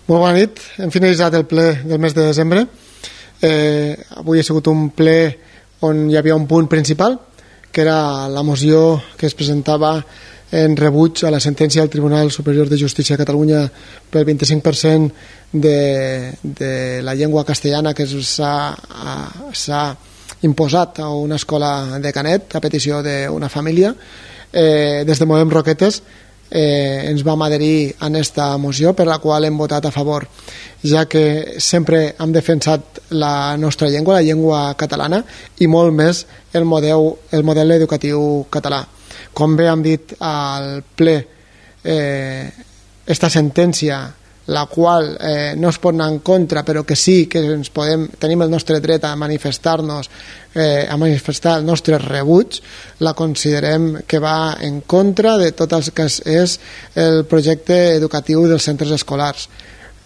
Molt bona nit. Hem finalitzat el ple del mes de desembre. Avui ha sigut un ple on hi havia un punt principal, que era la moció que es presentava en rebuig a la sentència del Tribunal Superior de Justícia de Catalunya pel 25% de la llengua castellana que s'ha imposat a una escola de Canet a petició d'una família. Des de Movem Roquetes ens vam adherir a aquesta moció, per la qual hem votat a favor, ja que sempre hem defensat la nostra llengua, la llengua catalana, i molt més el model educatiu català. Com bé hem dit al ple, esta sentència, la qual no es pot anar en contra, però que sí que tenim el nostre dret a manifestar-nos, a manifestar el nostre rebuig, la considerem que va en contra de tot el que és el projecte educatiu dels centres escolars.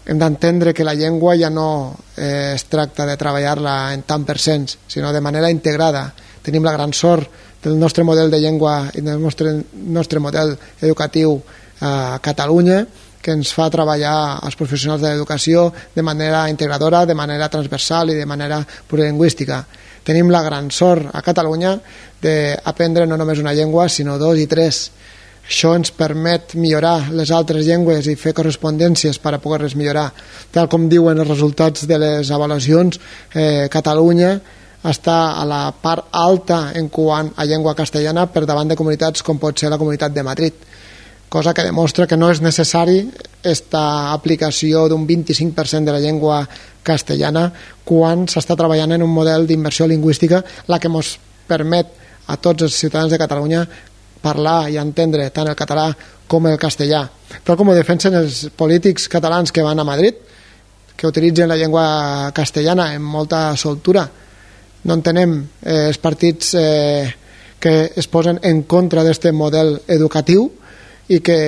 Hem d'entendre que la llengua ja no es tracta de treballar-la en tant per cents, sinó de manera integrada. Tenim la gran sort del nostre model de llengua i del nostre model educatiu a Catalunya, que ens fa treballar els professionals de l'educació de manera integradora, de manera transversal i de manera plurilingüística. Tenim la gran sort a Catalunya d'aprendre no només una llengua, sinó 2 i 3. Això ens permet millorar les altres llengües i fer correspondències per a poder-les millorar. Tal com diuen els resultats de les avaluacions, Catalunya està a la part alta en quant a llengua castellana per davant de comunitats com pot ser la Comunitat de Madrid, cosa que demostra que no és necessari aquesta aplicació d'un 25% de la llengua castellana quan s'està treballant en un model d'immersió lingüística, la que ens permet a tots els ciutadans de Catalunya parlar i entendre tant el català com el castellà. Tal com ho defensen els polítics catalans que van a Madrid, que utilitzen la llengua castellana amb molta soltura. No entenem els partits que es posen en contra d'aquest model educatiu i que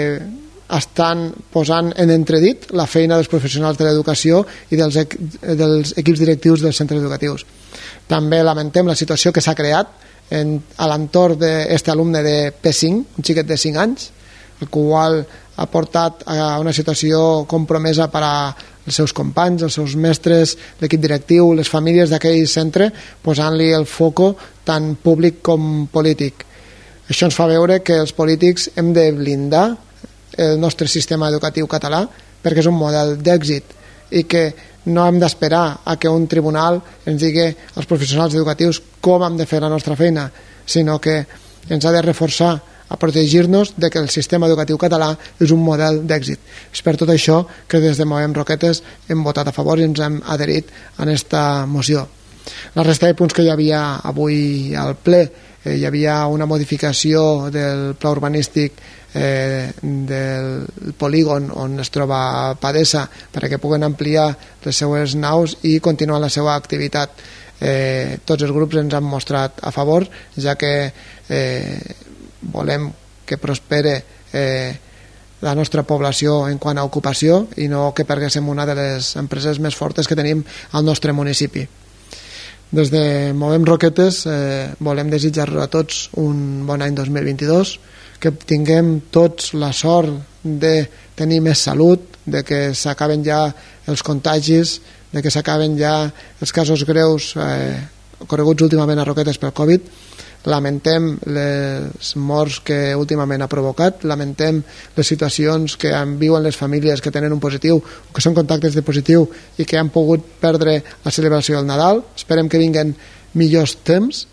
estan posant en entredit la feina dels professionals de l'educació i dels equips directius dels centres educatius. També lamentem la situació que s'ha creat a l'entorn d'aquest alumne de P5, un xiquet de 5 anys, el qual ha portat a una situació compromesa per als seus companys, els seus mestres, l'equip directiu, les famílies d'aquell centre, posant-li el foco tant públic com polític. Això ens fa veure que els polítics hem de blindar el nostre sistema educatiu català perquè és un model d'èxit i que no hem d'esperar a que un tribunal ens digui als professionals educatius com hem de fer la nostra feina, sinó que ens ha de reforçar a protegir-nos de que el sistema educatiu català és un model d'èxit. És per tot això que des de Movem Roquetes hem votat a favor i ens hem adherit a aquesta moció. La resta de punts que hi havia avui al ple, hi havia una modificació del pla urbanístic del polígon on es troba Padesa perquè puguen ampliar les seues naus i continuar la seva activitat. Tots els grups ens han mostrat a favor, ja que volem que prospere la nostra població en quant a ocupació i no que perguéssim una de les empreses més fortes que tenim al nostre municipi. Des de Movem Roquetes volem desitjar-los a tots un bon any 2022, que tinguem tots la sort de tenir més salut, de que s'acaben ja els contagis, de que s'acaben ja els casos greus ocorreguts últimament a Roquetes pel Covid. Lamentem les morts que últimament ha provocat, lamentem les situacions que viuen les famílies que tenen un positiu o que són contactes de positiu i que han pogut perdre la celebració del Nadal. Esperem que vinguen millors temps,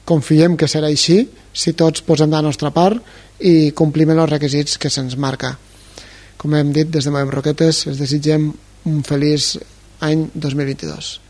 confiem que serà així si tots posem de la nostra part i complim els requisits que se'ns marca. Com hem dit, des de Movem Roquetes els desitgem un feliç any 2022.